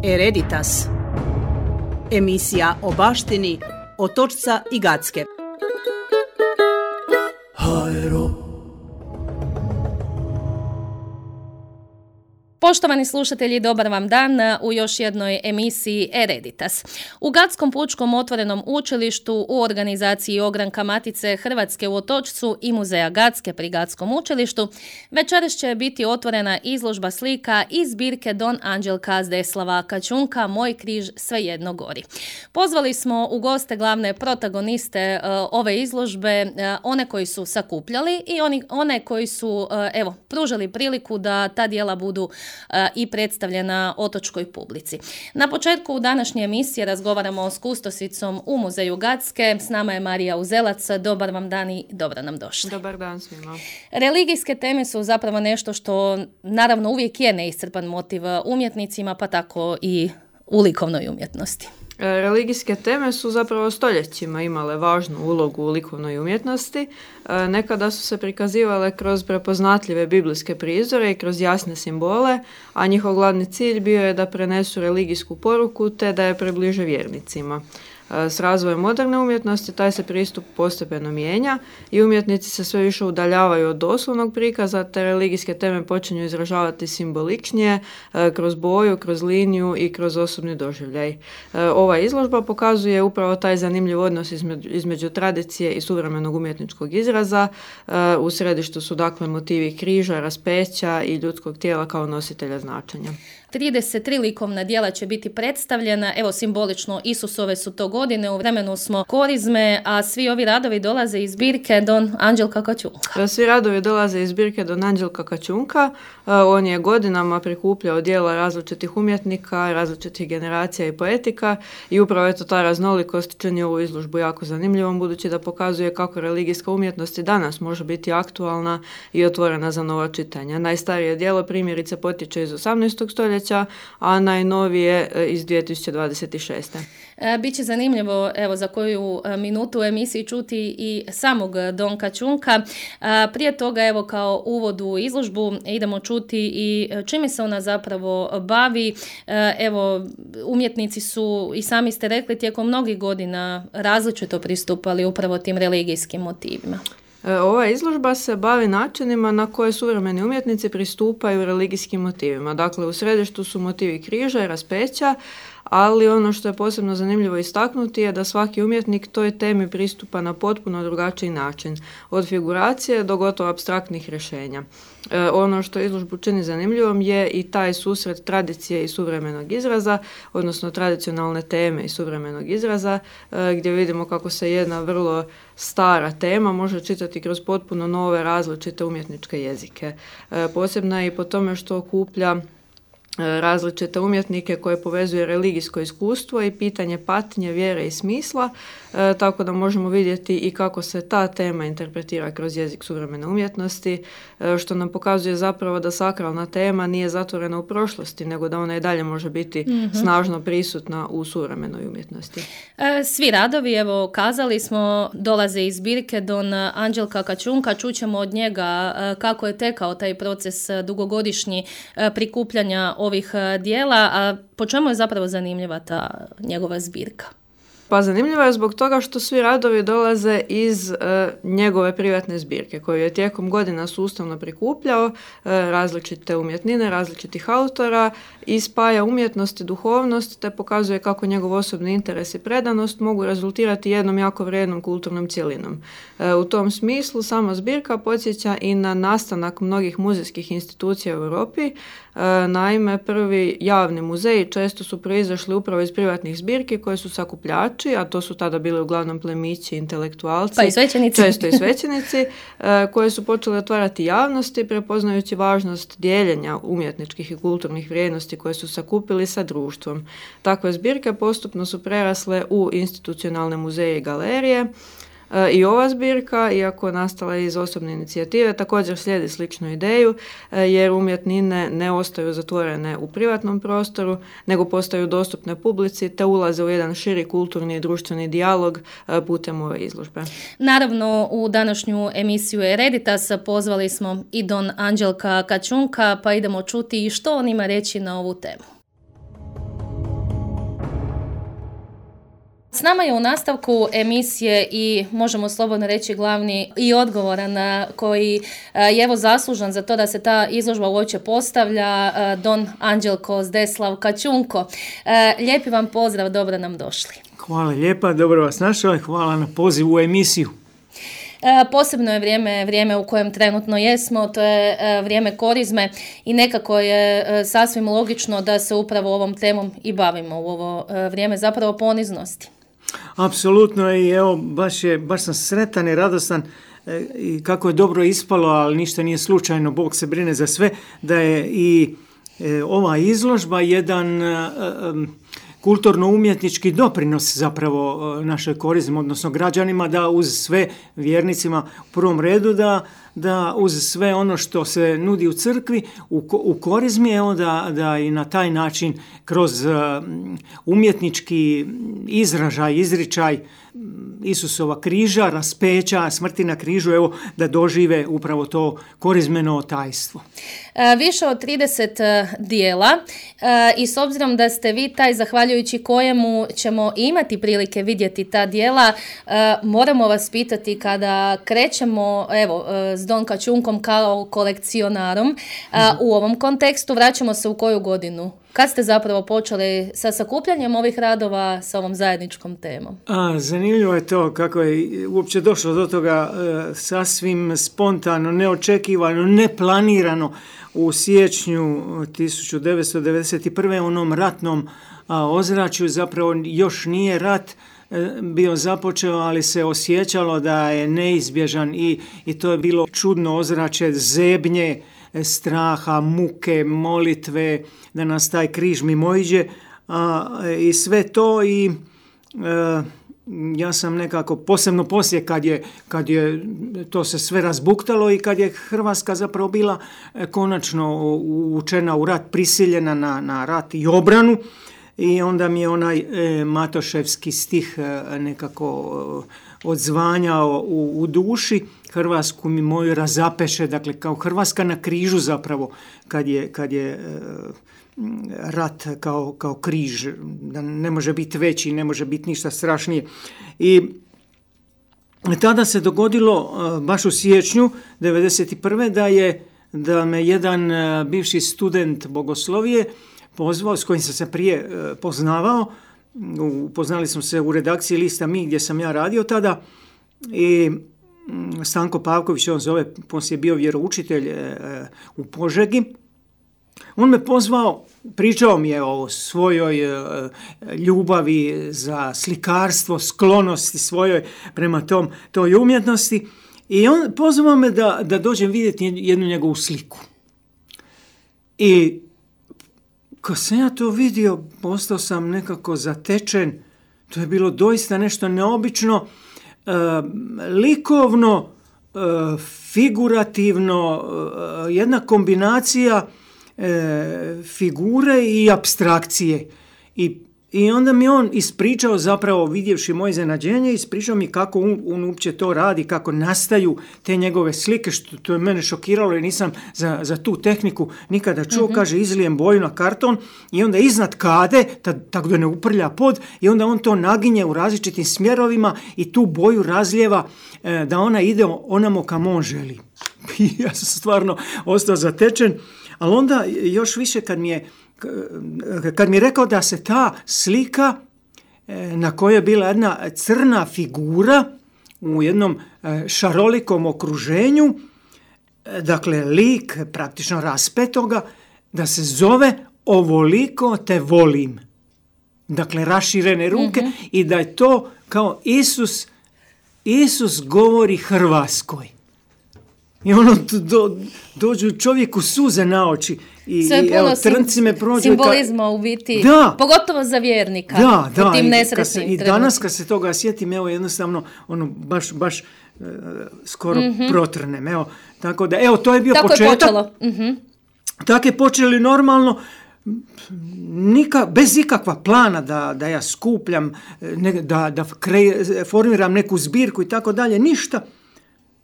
Hereditas. Emisija o baštini Otočca i Gacke. Poštovani slušatelji, dobar vam dan u još jednoj emisiji Hereditas. U Gatskom pučkom otvorenom učilištu u organizaciji Ogranka Matice Hrvatske u Otočcu i Muzeja Gacke pri Gatskom učilištu večeras će biti otvorena izložba slika iz zbirke Don Anđelka Zdeslava Kačunka Moj križ svejedno gori. Pozvali smo u goste glavne protagoniste ove izložbe, one koji su sakupljali i one koji su pružili priliku da ta djela budu i predstavljena otočkoj publici. Na početku današnje emisije razgovaramo s kustosicom u Muzeju Gacke. S nama je Marija Uzelac. Dobar vam dan i dobro nam došli. Dobar dan svima. Religijske teme su zapravo nešto što naravno uvijek je neiscrpan motiv umjetnicima, pa tako i u likovnoj umjetnosti. Religijske teme su zapravo stoljećima imale važnu ulogu u likovnoj umjetnosti. Nekada su se prikazivale kroz prepoznatljive biblijske prizore i kroz jasne simbole, a njihov glavni cilj bio je da prenesu religijsku poruku te da je približe vjernicima. S razvojem moderne umjetnosti taj se pristup postepeno mijenja i umjetnici se sve više udaljavaju od doslovnog prikaza, te religijske teme počinju izražavati simboličnije kroz boju, kroz liniju i kroz osobni doživljaj. Ova izložba pokazuje upravo taj zanimljiv odnos između tradicije i suvremenog umjetničkog izraza. U središtu su dakle motivi križa, raspeća i ljudskog tijela kao nositelja značenja. 33 likovna djela će biti predstavljena, simbolično Isusove su to godine, u vremenu smo korizme, a svi ovi radovi dolaze iz zbirke Don Anđelka Kačunka. Svi radovi dolaze iz zbirke Don Anđelka Kačunka. On je godinama prikupljao djela različitih umjetnika, različitih generacija i poetika i upravo je to ta raznolikost čini ovu izložbu jako zanimljivom, budući da pokazuje kako religijska umjetnost i danas može biti aktualna i otvorena za nova čitanja. Najstarije djelo primjerice potječe iz 18. stoljeća, a najnovije iz 2026. Biće zanimljivo za koju minutu u emisiji čuti i samog Don Kačunka. Prije toga kao uvod u izložbu idemo čuti i čime se ona zapravo bavi. Umjetnici su, i sami ste rekli, tijekom mnogih godina različito pristupali upravo tim religijskim motivima. Ova izložba se bavi načinima na koje suvremeni umjetnici pristupaju religijskim motivima. Dakle, u središtu su motivi križa i raspeća, ali ono što je posebno zanimljivo istaknuti je da svaki umjetnik toj temi pristupa na potpuno drugačiji način, od figuracije do gotovo apstraktnih rješenja. Ono što izložbu čini zanimljivom je i taj susret tradicije i suvremenog izraza, odnosno tradicionalne teme i suvremenog izraza, gdje vidimo kako se jedna vrlo stara tema može čitati kroz potpuno nove različite umjetničke jezike. Posebna je i po tome što okuplja različite umjetnike koje povezuje religijsko iskustvo i pitanje patnje, vjere i smisla, tako da možemo vidjeti i kako se ta tema interpretira kroz jezik suvremene umjetnosti, što nam pokazuje zapravo da sakralna tema nije zatvorena u prošlosti, nego da ona i dalje može biti snažno prisutna u suvremenoj umjetnosti. Svi radovi, kazali smo, dolaze iz zbirke Don Anđelka Kačunka. Čućemo od njega kako je tekao taj proces dugogodišnji prikupljanja ovih djela, a po čemu je zapravo zanimljiva ta njegova zbirka? Pa zanimljivo je zbog toga što svi radovi dolaze iz njegove privatne zbirke koju je tijekom godina sustavno prikupljao, različite umjetnine, različitih autora i spaja umjetnost i duhovnost te pokazuje kako njegov osobni interes i predanost mogu rezultirati jednom jako vrijednom kulturnom cjelinom. U tom smislu sama zbirka podsjeća i na nastanak mnogih muzejskih institucija u Europi. Naime, prvi javni muzeji često su proizašli upravo iz privatnih zbirki koje su sakupljači, a to su tada bili uglavnom plemići, intelektualci, pa i svećenici. Često i svećenici, koje su počeli otvarati javnosti prepoznajući važnost dijeljenja umjetničkih i kulturnih vrijednosti koje su sakupili sa društvom. Takve zbirke postupno su prerasle u institucionalne muzeje i galerije. I ova zbirka, iako nastala iz osobne inicijative, također slijedi sličnu ideju, jer umjetnine ne ostaju zatvorene u privatnom prostoru, nego postaju dostupne publici te ulaze u jedan širi kulturni i društveni dijalog putem ove izložbe. Naravno, u današnju emisiju Hereditas pozvali smo i Don Anđelka Kačunka, pa idemo čuti što on ima reći na ovu temu. S nama je u nastavku emisije i možemo slobodno reći glavni i odgovoran koji je evo zaslužan za to da se ta izložba uopće postavlja, don Anđelko Zdeslav Kačunko. Lijepi vam pozdrav, dobro nam došli. Hvala lijepa, dobro vas našao i hvala na pozivu u emisiju. Posebno je vrijeme u kojem trenutno jesmo, to je vrijeme korizme i nekako je sasvim logično da se upravo ovom temom i bavimo u ovo vrijeme zapravo poniznosti. Apsolutno i evo baš sam sretan i radostan i kako je dobro ispalo, ali ništa nije slučajno, Bog se brine za sve, da je i ova izložba jedan kulturno-umjetnički doprinos zapravo našoj korizmi, odnosno građanima, da uz sve vjernicima u prvom redu da uz sve ono što se nudi u crkvi, u korizmi, evo da i na taj način kroz umjetnički izražaj, izričaj Isusova križa, raspeća, smrti na križu, evo da dožive upravo to korizmeno tajstvo. Više od 30 dijela i s obzirom da ste vi taj zahvaljujući kojemu ćemo imati prilike vidjeti ta dijela, moramo vas pitati kada krećemo evo s Don Kačunkom kao kolekcionarom u ovom kontekstu, vraćamo se u koju godinu? Kad ste zapravo počeli sa sakupljanjem ovih radova sa ovom zajedničkom temom? Zanimljivo je to kako je uopće došlo do toga sasvim spontano, neočekivano, neplanirano u siječnju 1991. u onom ratnom ozračju. Zapravo još nije rat bio započeo, ali se osjećalo da je neizbježan i to je bilo čudno ozračje zebnje, straha, muke, molitve, da nas taj križ mimoiđe i sve to i ja sam nekako, posebno poslije kad je to se sve razbuktalo i kad je Hrvatska zapravo bila konačno uvučena u rat, prisiljena na rat i obranu, i onda mi je onaj Matoševski stih nekako odzvanjao u duši, Hrvatsku mi moju razapeše, dakle kao Hrvatska na križu zapravo, kad je rat kao križ, da ne može biti veći, ne može biti ništa strašnije. I tada se dogodilo, baš u siječnju 1991. da me jedan bivši student bogoslovije pozvao, s kojim sam se prije poznavao. Upoznali smo se u redakciji lista Mi, gdje sam ja radio tada, i Stanko Pavković, on zove, poslije bio vjeroučitelj u Požegi. On me pozvao, pričao mi je o svojoj ljubavi za slikarstvo, sklonosti svojoj prema toj umjetnosti, i on pozvao me da dođem vidjeti jednu njegovu sliku. I kad sam ja to vidio, postao sam nekako zatečen. To je bilo doista nešto neobično, likovno, figurativno, jedna kombinacija figure i apstrakcije. I onda mi on ispričao, zapravo vidjevši moje iznenađenje, ispričao mi kako on uopće to radi, kako nastaju te njegove slike, što to je mene šokiralo jer nisam za tu tehniku nikada čuo. Kaže, izlijem boju na karton i onda iznad kade, tako da ne uprlja pod, i onda on to naginje u različitim smjerovima i tu boju razljeva da ona ide onamo kam on želi. Ja sam stvarno ostao zatečen, ali onda još više kad mi je rekao da se ta slika na kojoj je bila jedna crna figura u jednom šarolikom okruženju, dakle lik praktično raspetoga, da se zove Ovoliko te volim. Dakle, raširene ruke, i da je to kao Isus govori Hrvatskoj. I ono dođu čovjeku suze na oči. I evo, trnci me prođu. Simbolizma u biti, pogotovo za vjernika. Da, u tim nesretnim i danas kad se toga sjetim, evo jednostavno baš skoro protrnem. Evo, tako da, evo, to je bio početak. Tako je počelo. Tako je počeli normalno, bez ikakva plana da ja skupljam, da formiram neku zbirku i tako dalje, ništa.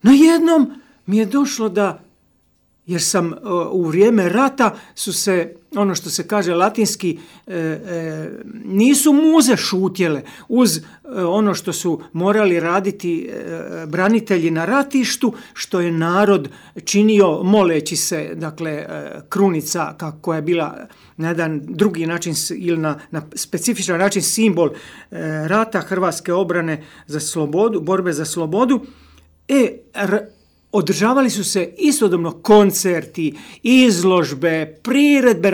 Najednom mi je došlo da jer sam u vrijeme rata su se, ono što se kaže latinski, nisu muze šutjele uz ono što su morali raditi branitelji na ratištu, što je narod činio moleći se, dakle, krunica koja je bila na jedan drugi način ili na specifičan način simbol rata, hrvatske obrane za slobodu, borbe za slobodu. Održavali su se istodobno koncerti, izložbe, priredbe,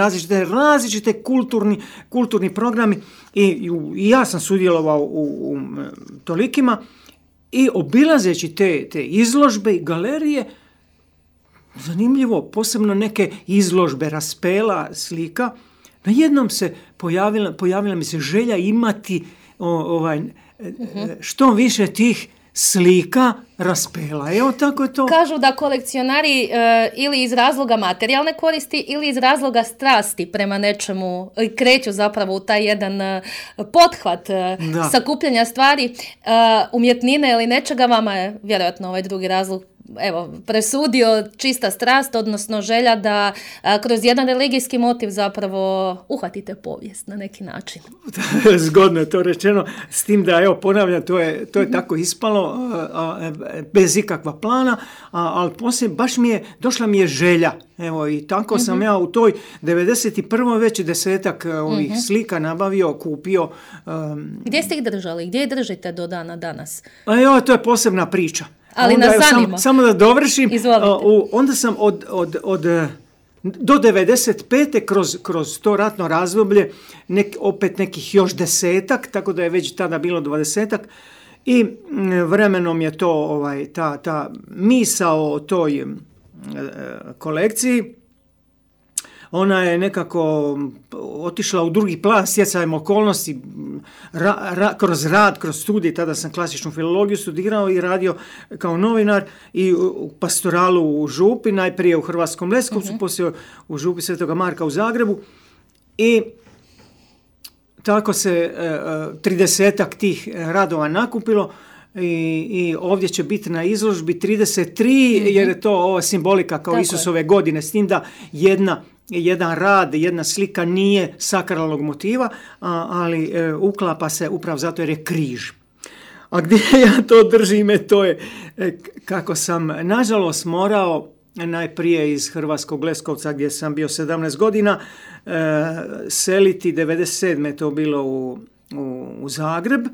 različite kulturni programi i ja sam sudjelovao u tolikima i obilazeći te izložbe i galerije, zanimljivo, posebno neke izložbe raspela, slika, najednom se pojavila mi se želja imati što više tih slika raspela. Evo, tako je to. Kažu da kolekcionari ili iz razloga materijalne koristi ili iz razloga strasti prema nečemu kreću zapravo u taj jedan pothvat sakupljanja stvari, umjetnine ili nečega. Vama je vjerojatno ovaj drugi razlog presudio čista strast, odnosno želja da kroz jedan religijski motiv zapravo uhvatite povijest na neki način. Zgodno je to rečeno, s tim da, ponavljam, to je tako ispalo, bez ikakva plana, ali poslije došla mi je želja. Evo, i tako sam ja u toj 91. već 10 ovih slika nabavio, kupio. Gdje ste ih držali? Gdje ih držite do dana danas? To je posebna priča. Ali onda, nas zanima. Samo da dovršim. Izvolite. Onda sam do 95. kroz to ratno razdoblje opet nekih još 10, tako da je već tada bilo 20. I vremenom je to ta misao o toj kolekciji, ona je nekako otišla u drugi plan stjecajem okolnosti, kroz studij, tada sam klasičnu filologiju studirao i radio kao novinar i u pastoralu u Župi, najprije u Hrvatskom Leskovcu, poslije u Župi Svetoga Marka u Zagrebu, i tako se 30 tih radova nakupilo. I ovdje će biti na izložbi 33, jer je to ova simbolika kao Isusove godine, s tim da jedan rad, jedna slika nije sakralnog motiva, ali uklapa se upravo zato jer je križ. A gdje ja to držim, to je kako sam nažalost morao najprije iz Hrvatskog Leskovca, gdje sam bio 17 godina, seliti 97. je to bilo u Zagreb,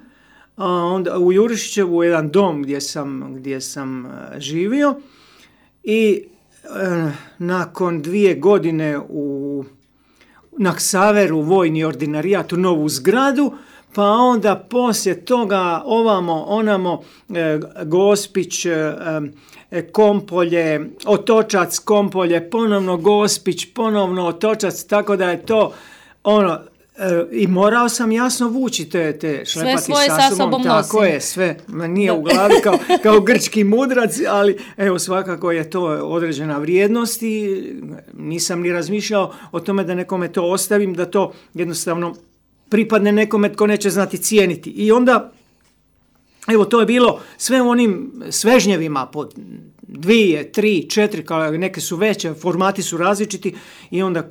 a onda u Jurišićevu, u jedan dom gdje sam živio, i nakon 2 godine na Ksaveru vojni ordinarijat u novu zgradu, pa onda poslije toga ovamo, onamo, Gospić, Kompolje, Otočac, Kompolje, ponovno Gospić, ponovno Otočac, tako da je to i morao sam jasno vući te šlepati sa sobom. Tako je, sve nije u glavi kao grčki mudrac, ali evo, svakako je to određena vrijednost i nisam ni razmišljao o tome da nekome to ostavim, da to jednostavno pripadne nekome tko neće znati cijeniti. I onda, evo, to je bilo sve u onim svežnjevima po 2, 3, 4, kao neke su veće, formati su različiti, i onda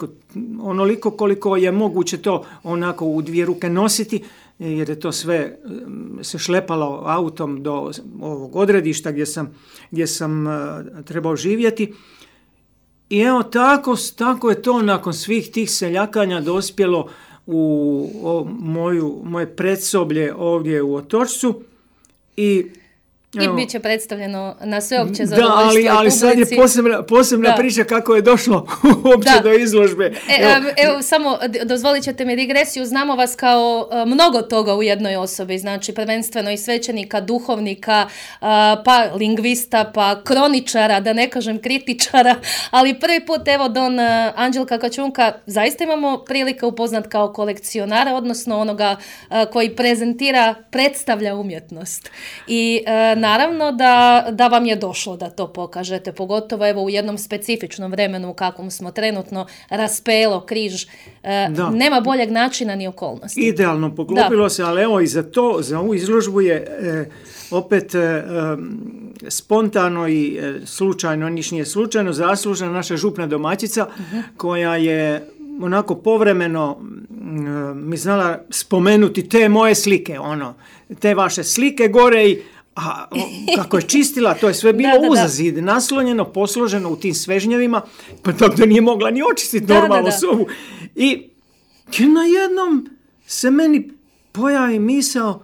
onoliko koliko je moguće to onako u 2 ruke nositi, jer je to sve se šlepalo autom do ovog odredišta gdje sam trebao živjeti. I evo, tako je to nakon svih tih seljakanja dospjelo u moje predsoblje ovdje u Otočcu. I bit će predstavljeno na sveopće zadovoljstvo publici. Ali sad je posebna priča kako je došlo uopće do izložbe. Evo, samo dozvolit ćete mi digresiju. Znamo vas kao mnogo toga u jednoj osobi, znači prvenstveno i svećenika, duhovnika, pa lingvista, pa kroničara, da ne kažem kritičara, ali prvi put, evo, don Anđelka Kačunka zaista imamo prilike upoznat kao kolekcionara, odnosno onoga koji predstavlja umjetnost. I naravno da vam je došlo da to pokažete, pogotovo evo u jednom specifičnom vremenu u kakvom smo trenutno, raspelo, križ, nema boljeg načina ni okolnosti. Idealno poklopilo se, ali evo i za ovu izložbu je opet spontano i slučajno, niš nije slučajno, zaslužna naša župna domaćica koja je onako povremeno mi znala spomenuti te moje slike, te vaše slike gore i kako je čistila, to je sve bilo uza zid, naslonjeno, posloženo u tim svežnjevima, pa tako da nije mogla ni očistiti normalno sobu. I najednom se meni pojavi misao,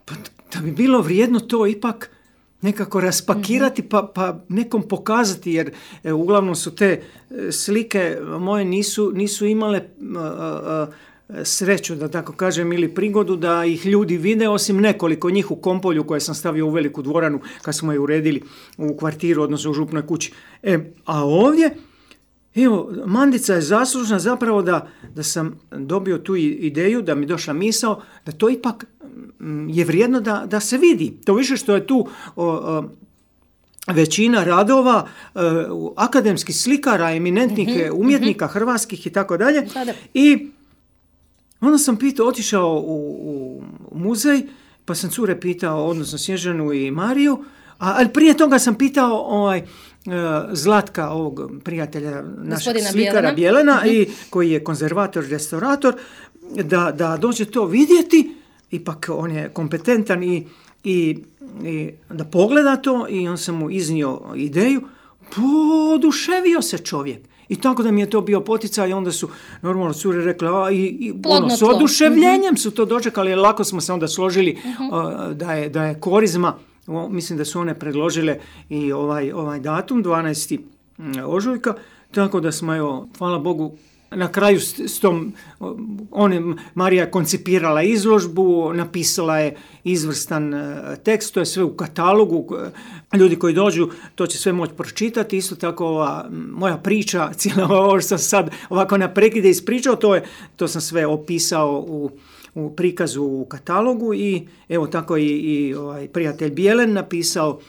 pa da bi bilo vrijedno to ipak nekako raspakirati pa nekom pokazati, jer uglavnom su te slike moje nisu imale sreću, da tako kažem, ili prigodu da ih ljudi vide, osim nekoliko njih u Kompolju koje sam stavio u veliku dvoranu kad smo je uredili u kvartiru, odnosno u župnoj kući. A ovdje, evo, Mandica je zaslužna zapravo da sam dobio tu ideju, da mi došla misao, da to ipak je vrijedno da se vidi. To više što je tu većina radova akademskih slikara, eminentnih umjetnika hrvatskih i tako dalje. I onda sam otišao u muzej, pa sam cure pitao, odnosno Snježanu i Mariju, ali prije toga sam pitao Zlatka, ovog prijatelja našeg slikara Bjelena, i koji je konzervator, restaurator, da dođe to vidjeti, ipak on je kompetentan i da pogleda to, i on sam mu iznio ideju, poduševio se čovjek. I tako da mi je to bio poticaj, i onda su normalno cure rekle, s oduševljenjem su to dočekali, lako smo se onda složili da je korizma, mislim da su one predložile i ovaj datum, 12. ožujka, tako da smo, evo, hvala Bogu, na kraju s tom, Marija je koncipirala izložbu, napisala je izvrstan tekst, to je sve u katalogu, ljudi koji dođu to će sve moći pročitati. Isto tako ova moja priča, cijela ovo što sam sad ovako na prekide ispričao, to sam sve opisao u prikazu u katalogu, i evo tako i ovaj prijatelj Bijelen napisao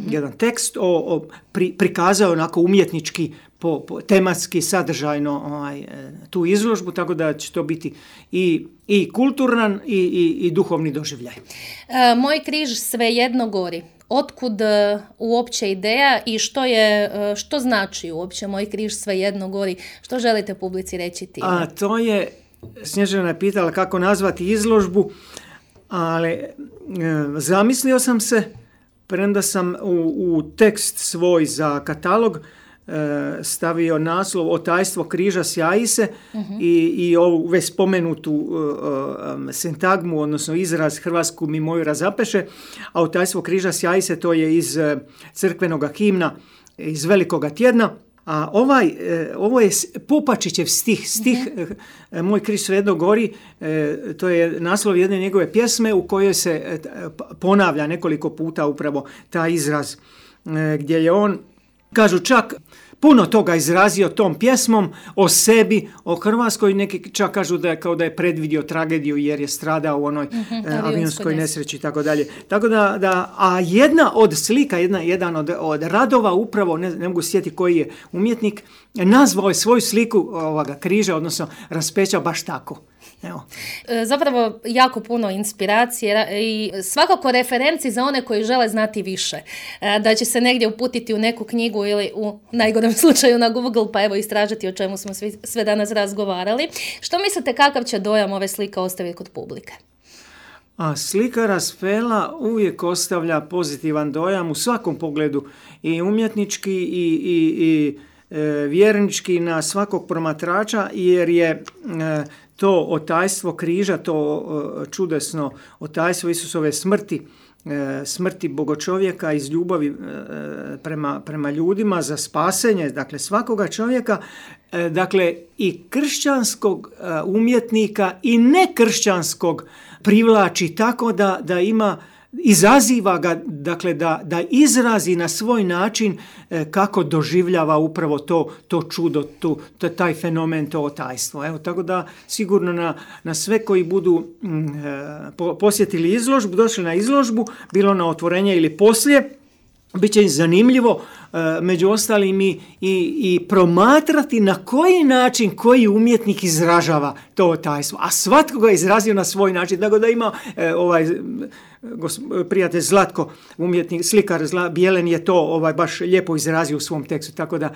jedan tekst, prikazao onako umjetnički, tematski, sadržajno tu izložbu, tako da će to biti i kulturan i duhovni doživljaj. Moj križ svejedno gori. Otkud uopće ideja i što znači uopće Moj križ svejedno gori? Što želite publici reći time? To je, Snježana je pitala kako nazvati izložbu, ali zamislio sam se, premda sam u tekst svoj za katalog stavio naslov Otajstvo križa sjaji se, i ovu već spomenutu sintagmu, odnosno izraz Hrvatsku mi moju razapeše, a Otajstvo križa sjaji se, to je iz crkvenoga himna iz Velikoga tjedna. A ovo je Popačićev stih Moj križ svejedno gori, to je naslov jedne njegove pjesme u kojoj se ponavlja nekoliko puta upravo taj izraz, gdje je on, kažu, čak puno toga izrazio tom pjesmom o sebi, o Hrvatskoj, neki čak kažu da je predvidio tragediju jer je stradao u onoj avionskoj nesreći i tako dalje. Tako a jedna od slika, jedan od radova, upravo, ne mogu sjetiti koji je umjetnik, nazvao je svoju sliku ovoga križa, odnosno raspeća, baš tako. Evo. Zapravo jako puno inspiracije i svakako referenci za one koji žele znati više. Da će se negdje uputiti u neku knjigu ili u najgorem slučaju na Google, pa evo istražiti o čemu smo sve danas razgovarali. Što mislite, kakav će dojam ove slike ostaviti kod publike? Slika Raspela uvijek ostavlja pozitivan dojam u svakom pogledu, i umjetnički i vjernički na svakog promatrača, jer je to otajstvo križa, to čudesno otajstvo Isusove smrti bogočovjeka iz ljubavi prema ljudima za spasenje, dakle svakoga čovjeka, dakle i kršćanskog umjetnika i nekršćanskog privlači tako da ima izaziva ga, dakle, da izrazi na svoj način kako doživljava upravo to čudo, taj fenomen, to otajstvo. Evo, tako da sigurno na sve koji budu posjetili izložbu, došli na izložbu, bilo na otvorenje ili poslije, bit će im zanimljivo među ostalim i promatrati na koji način koji umjetnik izražava to otajstvo. A svatko ga izrazio na svoj način. Tako da ima prijatelj Zlatko, umjetnik, slikar Bijelen je to baš lijepo izrazio u svom tekstu. Tako da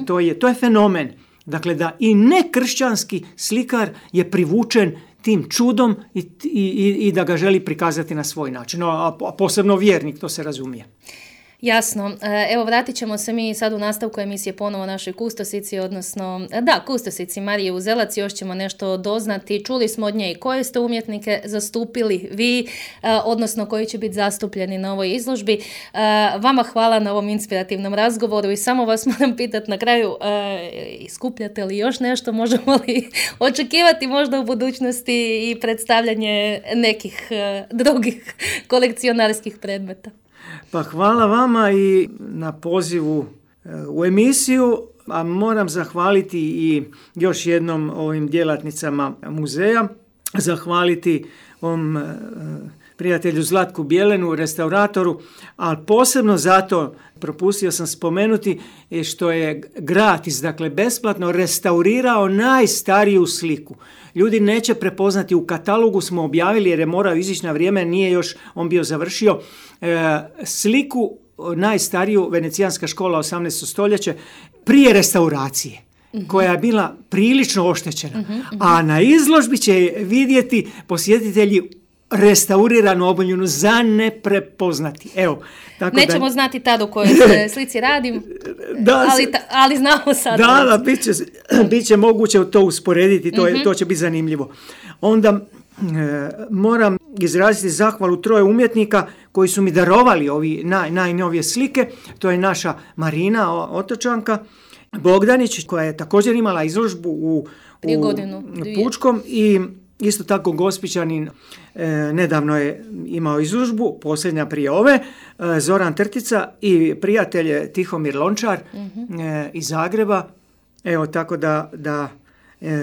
to je fenomen. Dakle, da i nekršćanski slikar je privučen tim čudom i da ga želi prikazati na svoj način. A posebno vjernik, to se razumije. Jasno. Evo, vratit ćemo se mi sad u nastavku emisije ponovo našoj kustosici, odnosno, kustosici Marije Uzelac. Još ćemo nešto doznati. Čuli smo od nje i koje ste umjetnike zastupili vi, odnosno koji će biti zastupljeni na ovoj izložbi. Vama hvala na ovom inspirativnom razgovoru i samo vas moram pitati na kraju, iskupljate li još nešto? Možemo li očekivati možda u budućnosti i predstavljanje nekih drugih kolekcionarskih predmeta? Pa hvala vama i na pozivu u emisiju, a moram zahvaliti i još jednom ovim djelatnicama muzeja, zahvaliti ovom prijatelju Zlatku Bijelenu, restauratoru, ali posebno zato propustio sam spomenuti što je gratis, dakle besplatno restaurirao najstariju sliku. Ljudi neće prepoznati, u katalogu smo objavili jer je morao izići na vrijeme, nije još on bio završio, sliku najstariju, Venecijanska škola 18. stoljeće, prije restauracije, koja je bila prilično oštećena. A na izložbi će vidjeti posjetitelji restauriranu oboljenu za ne prepoznati. Evo, tako nećemo znati tad u kojoj se slici radim, ali znamo sad. Da, bit će moguće to usporediti, to će biti zanimljivo. Onda moram izraziti zahvalu 3 umjetnika koji su mi darovali ovi najnovije slike. To je naša Marina, Otočanka, Bogdanić, koja je također imala izložbu u Pučkom, i isto tako Gospićanin nedavno je imao izložbu, posljednja prije ove, Zoran Trtica i prijatelj Tihomir Lončar iz Zagreba. Evo, tako da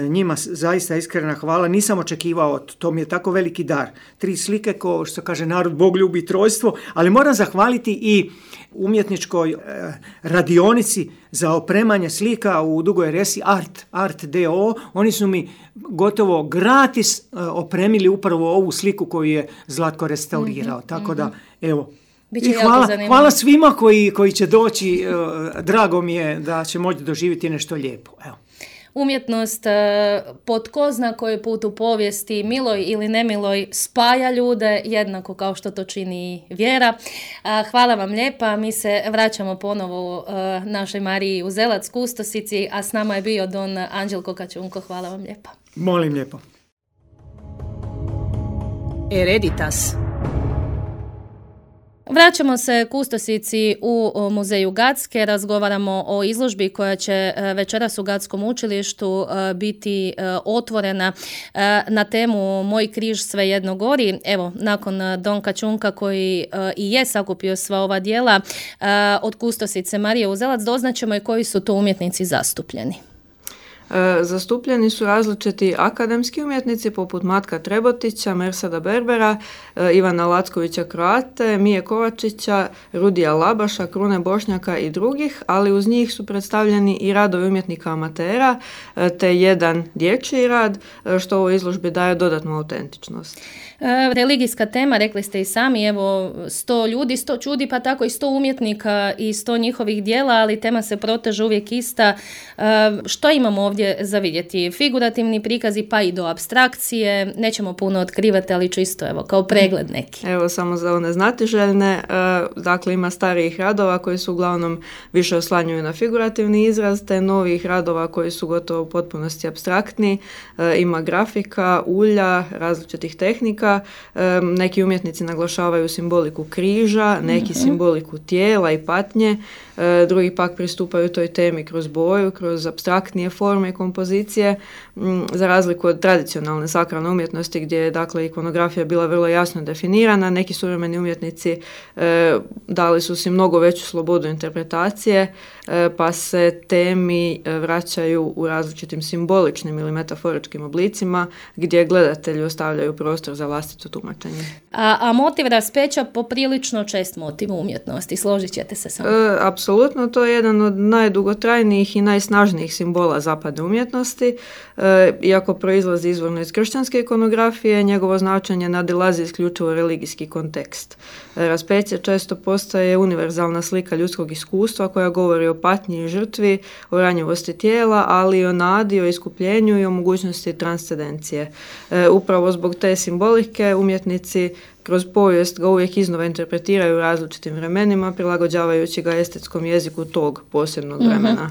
njima zaista iskrena hvala. Nisam očekivao, to mi je tako veliki dar. 3 slike, ko što kaže narod, Bog ljubi trojstvo, ali moram zahvaliti i umjetničkoj radionici za opremanje slika u Dugoj Resi, Art DO. Oni su mi gotovo gratis opremili upravo ovu sliku koju je Zlatko restaurirao. Tako da, evo, i hvala svima koji će doći. Drago mi je da će moći doživjeti nešto lijepo. Evo. Umjetnost po tko zna koji put u povijesti, miloj ili nemiloj, spaja ljude jednako kao što to čini vjera. Hvala vam lijepa. Mi se vraćamo ponovo našoj Mariji Uzelac, kustosici, a s nama je bio don Anđelko Kačunko. Hvala vam lijepa. Molim lijepo. Hereditas. Vraćamo se kustosici u muzeju Gacke, razgovaramo o izložbi koja će večeras u Gatskom učilištu biti otvorena na temu Moj križ svejedno gori. Evo, nakon don Kačunka koji i je sakupio sva ova djela od kustosice Marije Uzelac, doznaćemo i koji su to umjetnici zastupljeni. Zastupljeni su različiti akademski umjetnici poput Matka Trebotića, Mersada Berbera, Ivana Lackovića Kroate, Mije Kovačića, Rudija Labaša, Krune Bošnjaka i drugih, ali uz njih su predstavljeni i radovi umjetnika amatera te jedan dječji rad, što ovoj izložbi daje dodatnu autentičnost. Religijska tema, rekli ste i sami, evo 100 ljudi, 100 čudi, pa tako i 100 umjetnika i 100 njihovih dijela, ali tema se proteže uvijek ista. Što imamo ovdje za vidjeti? Figurativni prikazi pa i do apstrakcije, nećemo puno otkrivati, ali čisto evo kao pregled neki. Evo samo za one znatiželjne, dakle ima starijih radova koji su uglavnom više oslanjuju na figurativni izraz, te novih radova koji su gotovo u potpunosti apstraktni, ima grafika, ulja, različitih tehnika. Neki umjetnici naglašavaju simboliku križa, neki simboliku tijela i patnje, drugi pak pristupaju toj temi kroz boju, kroz apstraktnije forme forme i kompozicije, za razliku od tradicionalne sakralne umjetnosti gdje je dakle ikonografija bila vrlo jasno definirana. Neki suvremeni umjetnici dali su si mnogo veću slobodu interpretacije, pa se temi vraćaju u različitim simboličnim ili metaforičkim oblicima gdje gledatelji ostavljaju prostor za vlastito tumačenje. A motiv raspeća poprilično čest motiv umjetnosti, složit ćete se sa mnom? Apsolutno, to je jedan od najdugotrajnijih i najsnažnijih simbola zapadne umjetnosti. Iako proizlazi izvorno iz kršćanske ikonografije, njegovo značenje nadilazi isključivo religijski kontekst. Raspeće često postaje univerzalna slika ljudskog iskustva koja govori o patnji i žrtvi, o ranjivosti tijela, ali i o nadi, o iskupljenju i o mogućnosti transcendencije. Upravo zbog te simbolike umjetnici kroz povijest ga uvijek iznova interpretiraju u različitim vremenima, prilagođavajući ga estetskom jeziku tog posebnog vremena.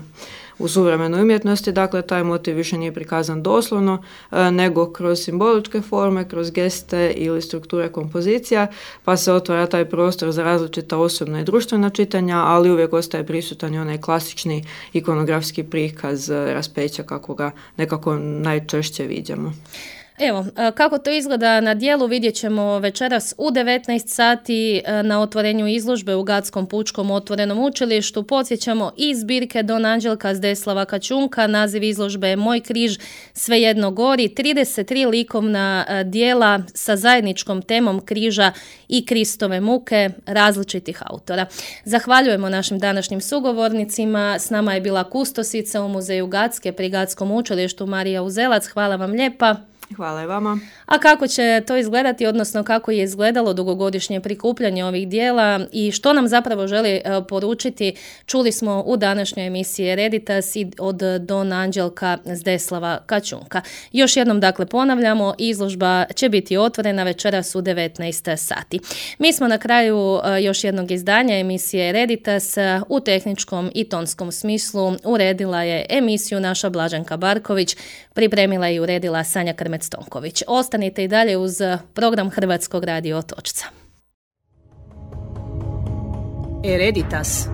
U suvremenoj umjetnosti, dakle, taj motiv više nije prikazan doslovno, nego kroz simboličke forme, kroz geste ili strukture kompozicija, pa se otvara taj prostor za različita osobna i društvena čitanja, ali uvijek ostaje prisutan i onaj klasični ikonografski prikaz raspeća kako ga nekako najčešće viđamo. Evo, kako to izgleda na djelu vidjet ćemo večeras u 19 sati na otvorenju izložbe u Gatskom pučkom otvorenom učilištu. Podsjećamo i zbirke Don Anđelka Zdeslava Kačunka, naziv izložbe je Moj križ svejedno gori, 33 likovna djela sa zajedničkom temom križa i Kristove muke različitih autora. Zahvaljujemo našim današnjim sugovornicima, s nama je bila kustosica u Muzeju Gatske pri Gatskom učilištu Marija Uzelac, hvala vam lijepa. Hvala i vama. A kako će to izgledati, odnosno kako je izgledalo dugogodišnje prikupljanje ovih dijela i što nam zapravo želi poručiti, čuli smo u današnjoj emisiji Hereditas od Don Anđelka Zdeslava Kačunka. Još jednom dakle ponavljamo, izložba će biti otvorena večeras u 19 sati. Mi smo na kraju još jednog izdanja emisije Hereditas. U tehničkom i tonskom smislu uredila je emisiju naša Blaženka Barković, pripremila i uredila Sanja Krmec-Tonković. Ostanite i dalje uz program Hrvatskog radio Otočca. Hereditas.